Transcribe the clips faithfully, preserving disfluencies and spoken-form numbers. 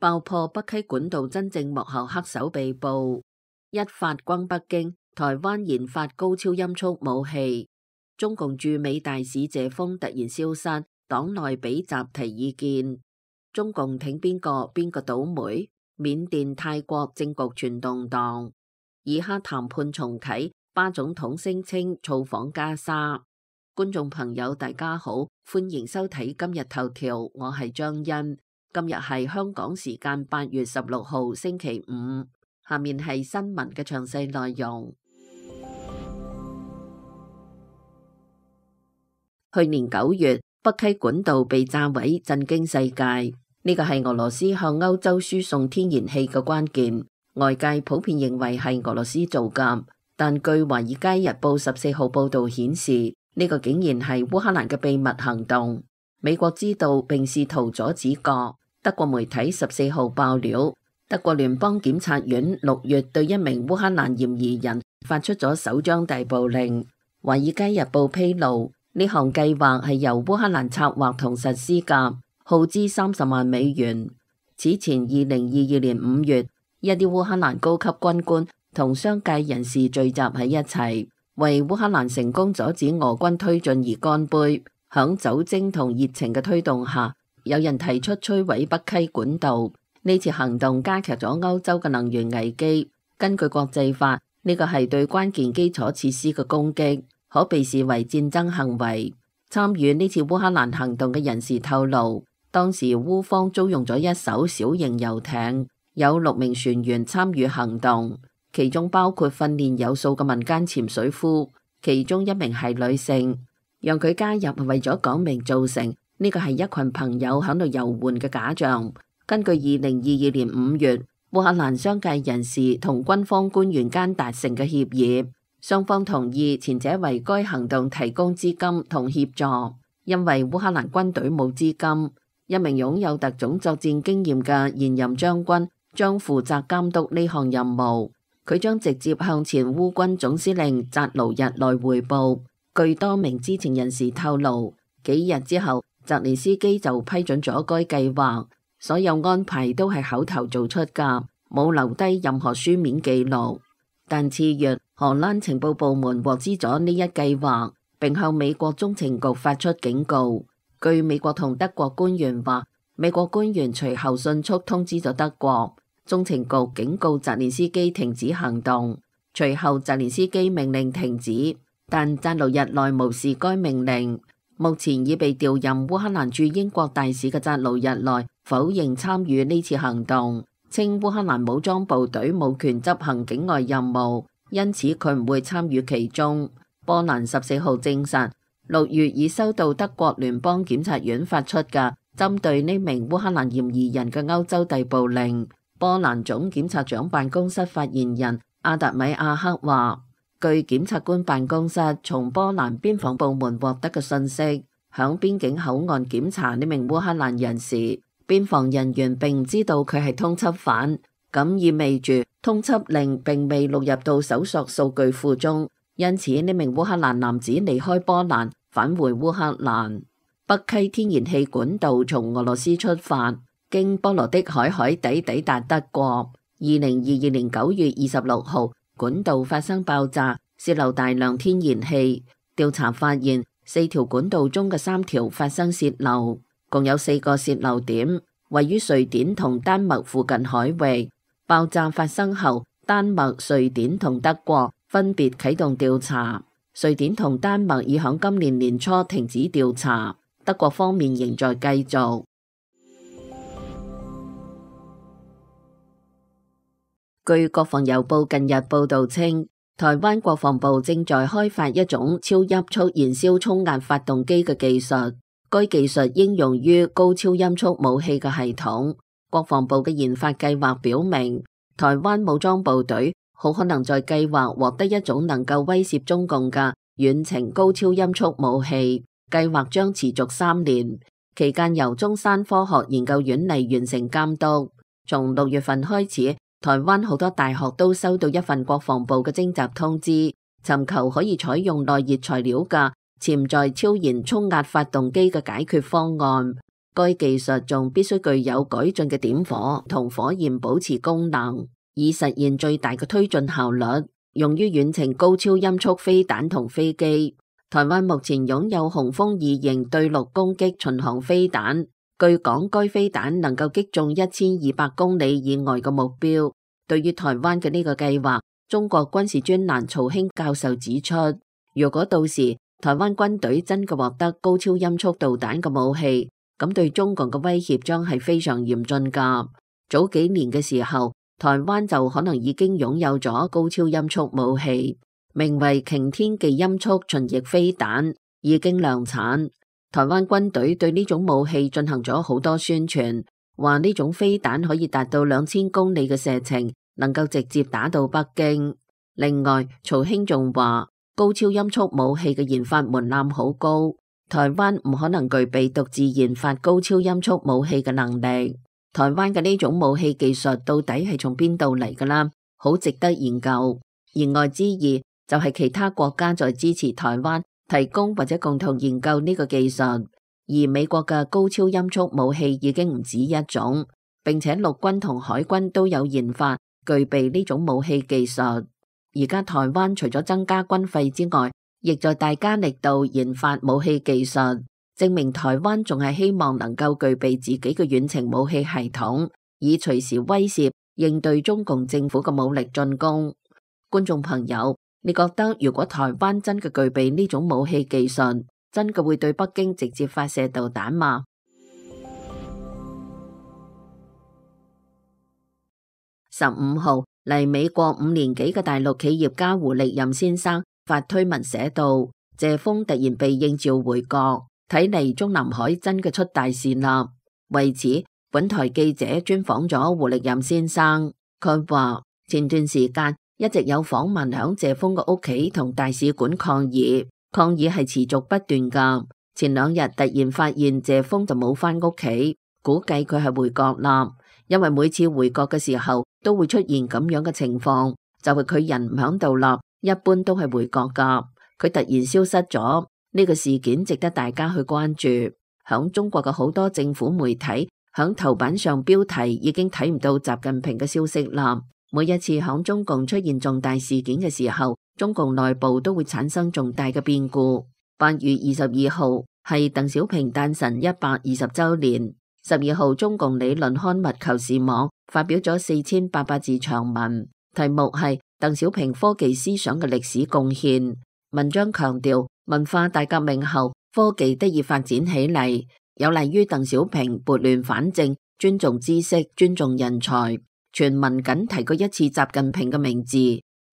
爆破北溪管道真正幕後黑手被捕。一發轟北京，台灣研發高超音速武器。中共駐美大使謝鋒突然消失，黨內比習提意見。中共挺邊個邊個倒霉？緬甸泰國政局全動盪。以哈談判重啟，巴總統聲稱造訪加沙。觀眾朋友大家好，歡迎收睇今日頭條，我係張欣。今日係香港時間八月十六號星期五，下面係新聞嘅詳細內容。去年九月，北溪管道被炸毀，震驚世界。呢個係俄羅斯向歐洲輸送天然氣嘅關鍵，外界普遍認為係俄羅斯做㗎，但據《華爾街日報》十四號報道顯示，呢個竟然係烏克蘭嘅秘密行動。美國知道並試圖阻止過。德國媒體十四號爆料，德國聯邦檢察院六月對一名烏克蘭嫌疑人發出咗首張逮捕令。《華爾街日報》披露，呢項計劃係由烏克蘭策劃同實施㗎，耗資三十萬美元。此前二零二二年五月，一啲烏克蘭高級軍官同商界人士聚集喺一齊，為烏克蘭成功阻止俄軍推進而乾杯。響酒精同熱情嘅推動下，有人提出摧毀北溪管道。呢次行動加劇咗歐洲嘅能源危機。根據國際法，呢個係對關鍵基礎設施嘅攻擊，可被視為戰爭行為。參與呢次烏克蘭行動嘅人士透露，當時烏方租用咗一艘小型遊艇，有六名船員參與行動，其中包括訓練有素嘅民間潛水夫，其中一名係女性。讓佢加入係為咗講明造成呢個係一群朋友響度遊玩嘅假象。根據二零二二年五月烏克蘭商界人士同軍方官員間達成嘅協議，雙方同意前者為該行動提供資金同協助。因為烏克蘭軍隊冇資金，一名擁有特種作戰經驗嘅現任將軍將負責監督呢項任務。佢將直接向前烏軍總司令扎盧日內匯報。據多名知情人士透露，幾日之後，澤連斯基就批准咗該計劃，所有安排都係口頭做出㗎，冇留低任何書面記錄。但次月，荷蘭情報部門獲知咗呢一計劃，並向美國中情局發出警告。據美國同德國官員話，美國官員隨後迅速通知咗德國中情局，警告澤連斯基停止行動。隨後，澤連斯基命令停止。但扎盧日內無視該命令。目前已被調任烏克蘭駐英國大使嘅扎盧日內否認參與呢次行動，稱烏克蘭武裝部隊冇權執行境外任務，因此佢唔會參與其中。波蘭十四號證實，六月已收到德國聯邦檢察院發出嘅針對呢名烏克蘭嫌疑人嘅歐洲逮捕令。波蘭總檢察長辦公室發言人阿達米亞克話，據檢察官辦公室從波蘭邊防部門獲得嘅信息，響邊境口岸檢查呢名烏克蘭人時，邊防人員並唔知道佢係通緝犯，咁意味住通緝令並未錄入到搜索數據庫中，因此呢名烏克蘭男子離開波蘭返回烏克蘭。北溪天然氣管道從俄羅斯出發，經波羅的海海底抵達德國。二零二二年九月二十六號，管道發生爆炸，洩漏大量天然氣。調查發現，四條管道中嘅三條發生洩漏，共有四個洩漏點，位於瑞典同丹麥附近海域。爆炸發生後，丹麥、瑞典同德國分別啟動調查。瑞典同丹麥已響今年年初停止調查，德國方面仍在繼續。據國防郵報近日報道稱，台灣國防部正在開發一種超音速燃燒衝壓發動機嘅技術，該技術應用於高超音速武器嘅系統。國防部嘅研發計劃表明，台灣武裝部隊好可能在計劃獲得一種能夠威懾中共嘅遠程高超音速武器，計劃將持續三年，期間由中山科學研究院嚟完成監督。從六月份開始，台灣好多大學都收到一份國防部嘅徵集通知，尋求可以採用耐熱材料嘅潛在超燃衝壓發動機嘅解決方案。該技術仲必須具有改進嘅點火同火焰保持功能，以實現最大嘅推進效率，用於遠程高超音速飛彈同飛機。台灣目前擁有雄風二型對陸攻擊巡航飛彈，據講該飛彈能夠擊中一千二百公里以外嘅目標。對於台灣嘅呢個計劃，中國軍事專欄曹興教授指出，如果到時台灣軍隊真嘅獲得高超音速導彈嘅武器，咁對中共嘅威脅將係非常嚴峻噶。早幾年嘅時候，台灣就可能已經擁有咗高超音速武器，名為擎天技音速巡弋飛彈，已經量產。台灣軍隊對呢種武器進行咗好多宣傳，話呢種飛彈可以達到兩千公里嘅射程，能夠直接打到北京。另外，曹興仲話，高超音速武器嘅研發門檻好高，台灣唔可能具備獨自研發高超音速武器嘅能力。台灣嘅呢種武器技術到底係從邊度嚟㗎啦？好值得研究。言外之意就係其他國家在支持台灣提供或者共同研究呢個技術，而美國嘅高超音速武器已經唔止一種，並且陸軍同海軍都有研發具備呢種武器技術。而家台灣除咗增加軍費之外，亦在大加力度研發武器技術，證明台灣仲係希望能夠具備自己嘅遠程武器系統，以隨時威懾應對中共政府嘅武力進攻。觀眾朋友，你覺得如果台灣真嘅具備呢種武器技術，真嘅會對北京直接發射導彈嗎？十五號，嚟美國五年幾嘅大陸企業家胡力任先生發推文寫道，謝鋒突然被應召回國，睇嚟中南海真嘅出大事啦。為此，本台記者專訪咗胡力任先生，佢話前段時間一直有訪問響謝鋒嘅屋企同大使館抗議，抗議係持續不斷噶。前兩日突然發現謝鋒就冇返屋企，估計佢係回國啦。因為每次回國嘅時候都會出現咁樣嘅情況，就係佢人唔響度啦，一般都係回國噶。佢突然消失咗，呢個事件值得大家去關注。響中國嘅好多政府媒體響頭版上標題已經睇唔到習近平嘅消息啦。每一次響中共出現重大事件嘅時候，中共內部都會產生重大嘅變故。八月二十二號係鄧小平誕辰一百二十週年。十二號，中共理論刊物《求是網》發表咗四千八百字長文，題目係鄧小平科技思想嘅歷史貢獻。文章強調，文化大革命後，科技得以發展起嚟，有利於鄧小平撥亂反正，尊重知識，尊重人才。全文僅提過一次習近平嘅名字。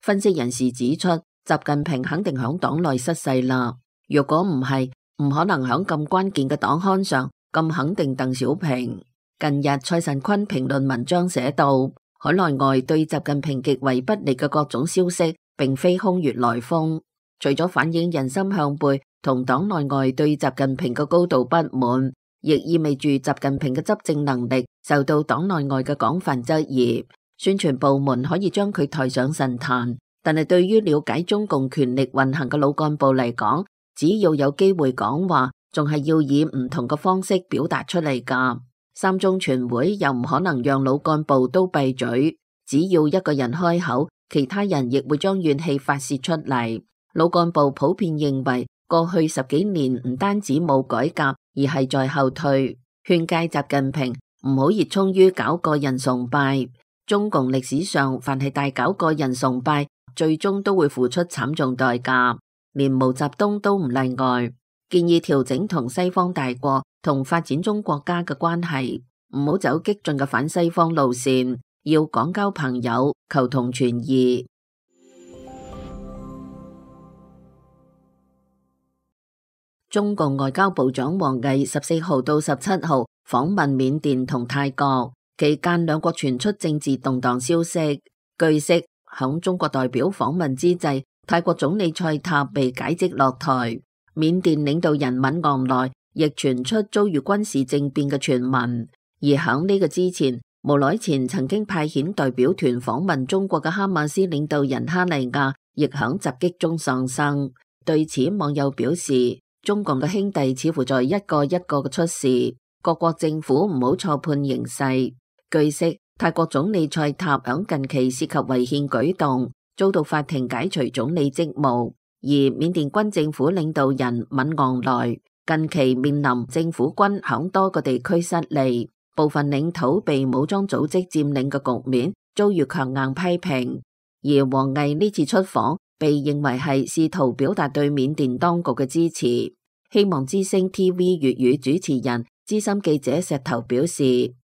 分析人士指出，習近平肯定響黨內失勢啦。如果唔係，唔可能響咁關鍵嘅黨刊上咁肯定鄧小平。近日蔡神坤評論文章寫道，海內外對習近平極為不利嘅各種消息，並非空穴來風，除咗反映人心向背同黨內外對習近平嘅高度不滿，亦意味住習近平嘅執政能力受到黨內外嘅廣泛質疑。宣傳部門可以將佢抬上神壇，但係對於了解中共權力運行嘅老幹部嚟講，只要有機會講話，仲係要以唔同嘅方式表達出嚟噶。三中全會又唔可能讓老幹部都閉嘴，只要一個人開口，其他人亦會將怨氣發洩出嚟。老幹部普遍認為，過去十幾年唔單止冇改革，而係在後退。勸誡習近平唔好熱衷於搞個人崇拜。中共歷史上凡係大搞個人崇拜，最終都會付出慘重代價，連毛澤東都唔例外。建議調整同西方大國同發展中國家嘅關係，唔好走激進嘅反西方路線，要廣交朋友，求同存異。中共外交部長王毅十四號到十七號訪問緬甸同泰國，期間兩國傳出政治動盪消息。據悉，響中國代表訪問之際，泰國總理蔡塔被解職落台。緬甸領導人敏昂萊亦傳出遭遇軍事政變嘅傳聞，而響呢個之前，無耐前曾經派遣代表團訪問中國嘅哈馬斯領導人哈尼亞，亦響襲擊中喪生。對此，網友表示，中共嘅兄弟似乎在一個一個嘅出事，各國政府唔好錯判形勢。據悉，泰國總理賽塔響近期涉及違憲舉動，遭到法庭解除總理職務，而緬甸軍政府領導人敏昂萊近期面臨政府軍響多個地區失利，部分領土被武裝組織佔領嘅局面遭遇強硬批評。而王毅呢次出訪被認為係試圖表達對緬甸當局嘅支持。希望之聲 T V 粵語主持人資深記者石頭表示，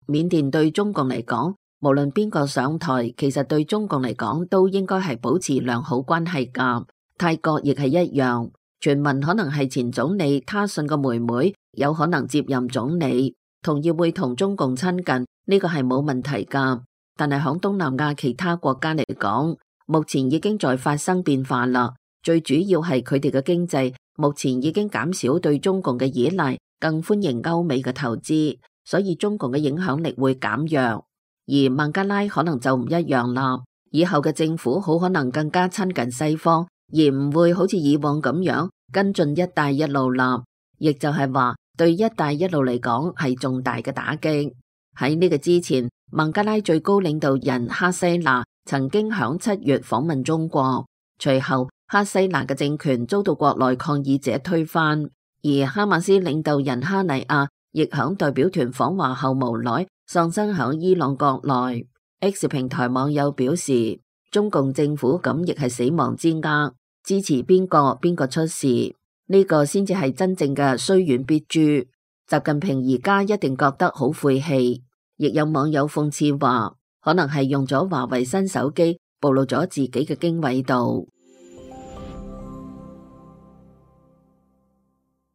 緬甸對中共嚟講，無論邊個上台，其實對中共嚟講都應該係保持良好關係㗎。泰國亦係一樣，傳聞可能係前總理他信個妹妹有可能接任總理，同意會同中共親近，呢個係冇問題㗎。但係響東南亞其他國家嚟講，目前已經在發生變化啦。最主要係佢哋嘅經濟目前已經減少對中共嘅依賴，更歡迎歐美嘅投資，所以中共嘅影響力會減弱。而孟加拉可能就唔一樣啦，以後嘅政府好可能更加親近西方，而唔會好似以往咁樣跟進一帶一路啦。亦就係話對一帶一路嚟講係重大嘅打擊。喺呢個之前，孟加拉最高領導人哈西娜曾經響七月訪問中國，隨後哈西娜嘅政權遭到國內抗議者推翻，而哈馬斯領導人哈尼亞亦響代表團訪華後無奈喪生響伊朗國內。X 平台網友表示，中共政府咁亦係死亡之握，支持邊個邊個出事，呢個先至係真正嘅雖遠必誅。習近平而家一定覺得好晦氣。亦有網友諷刺話，可能係用咗華為新手機暴露咗自己嘅經緯度。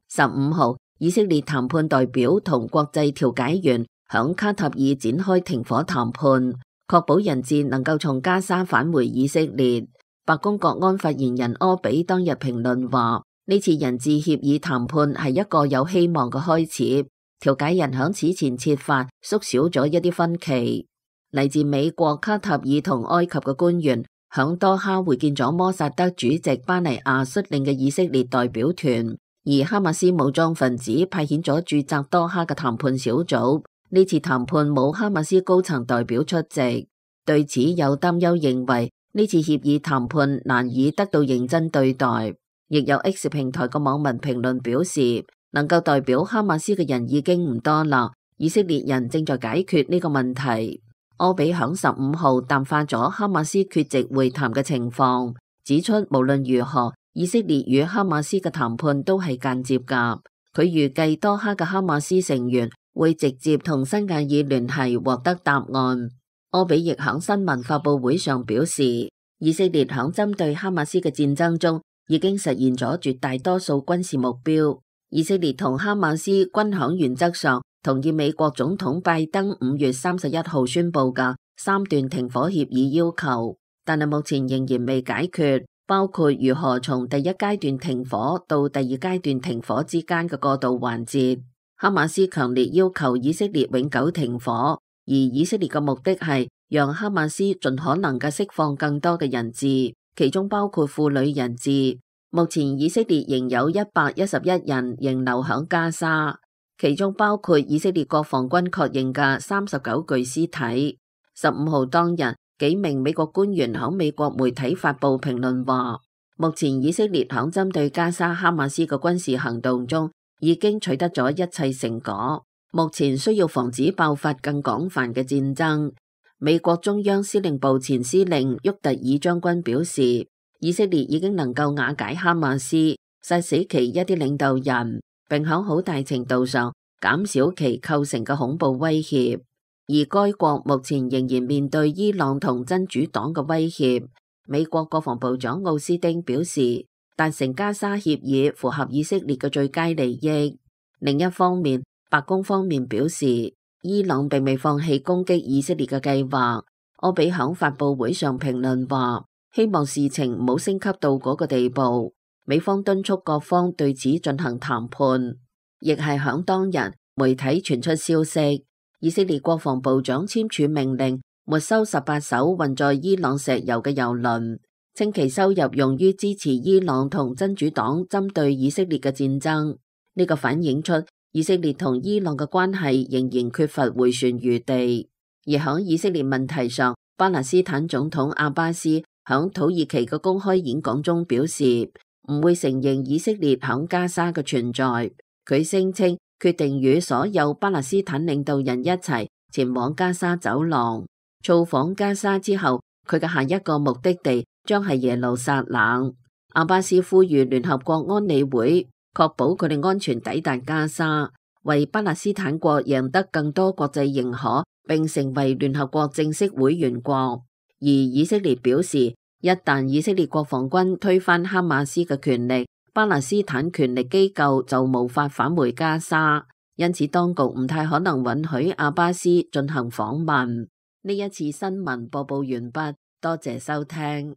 十五號，以色列談判代表同國際調解員響卡塔爾展開停火談判，確保人質能夠從加沙返回以色列。白宮國安發言人柯比當日評論話，呢次人質協議談判係一個有希望嘅開始，調解人響此前設法縮小咗一啲分歧。嚟自美國、卡塔爾同埃及嘅官員響多哈會見咗摩薩德主席巴尼亞率領嘅以色列代表團。而哈馬斯武裝分子派遣咗駐紮多哈嘅談判小組，呢次談判冇哈馬斯高層代表出席。對此有擔憂認為呢次協議談判難以得到認真對待。亦有 X 平台嘅網民評論表示，能夠代表哈馬斯嘅人已經唔多啦，以色列人正在解決呢個問題。柯比響十五號淡化咗哈馬斯缺席會談嘅情況，指出無論如何，以色列與哈馬斯嘅談判都係間接㗎。佢預計多哈嘅哈馬斯成員會直接同新亞爾聯繫獲得答案。柯比亦響新聞發佈會上表示，以色列響針對哈馬斯嘅戰爭中已經實現咗絕大多數軍事目標。以色列同哈馬斯均響原則上同意美國總統拜登五月三十一號宣佈嘅三段停火協議要求，但係目前仍然未解決。包括如何從第一階段停火到第二階段停火之間嘅過渡環節。哈馬斯強烈要求以色列永久停火，而以色列嘅目的係讓哈馬斯盡可能嘅釋放更多嘅人質，其中包括婦女人質。目前以色列仍有一百一十一人仍留響加沙，其中包括以色列國防軍確認嘅三十九具屍體。十五號當日，幾名美國官員響美國媒體發佈評論話，目前以色列響針對加沙哈馬斯嘅軍事行動中已經取得咗一切成果，目前需要防止爆發更廣泛嘅戰爭。美國中央司令部前司令沃特爾將軍表示，以色列已經能夠瓦解哈馬斯，殺死其一啲領導人，並響好大程度上減少其構成嘅恐怖威脅。而該國目前仍然面對伊朗同真主黨嘅威脅。美國國防部長奧斯汀表示，達成加沙協議符合以色列嘅最佳利益。另一方面，白宮方面表示，伊朗並未放棄攻擊以色列嘅計劃。柯比響發佈會上評論話，希望事情唔好升級到嗰個地步。美方敦促各方對此進行談判。亦係響當日，媒體傳出消息，以色列國防部長簽署命令，沒收十八艘運載伊朗石油嘅油輪，稱其收入用於支持伊朗同真主黨針對以色列嘅戰爭。呢個反映出以色列同伊朗嘅關係仍然缺乏回旋餘地。而響以色列問題上，巴勒斯坦總統阿巴斯響土耳其嘅公開演講中表示，唔會承認以色列響加沙嘅存在。佢聲稱決定與所有巴勒斯坦領導人一齊前往加沙走廊。造訪加沙之後，佢嘅下一個目的地將係耶路撒冷。阿巴斯呼籲聯合國安理會確保佢哋安全抵達加沙，為巴勒斯坦國贏得更多國際認可，並成為聯合國正式會員國。而以色列表示，一旦以色列國防軍推翻哈馬斯嘅權力，巴勒斯坦權力機構就無法返回加沙，因此當局唔太可能允許阿巴斯進行訪問。呢一次新聞播報完畢，多謝收聽。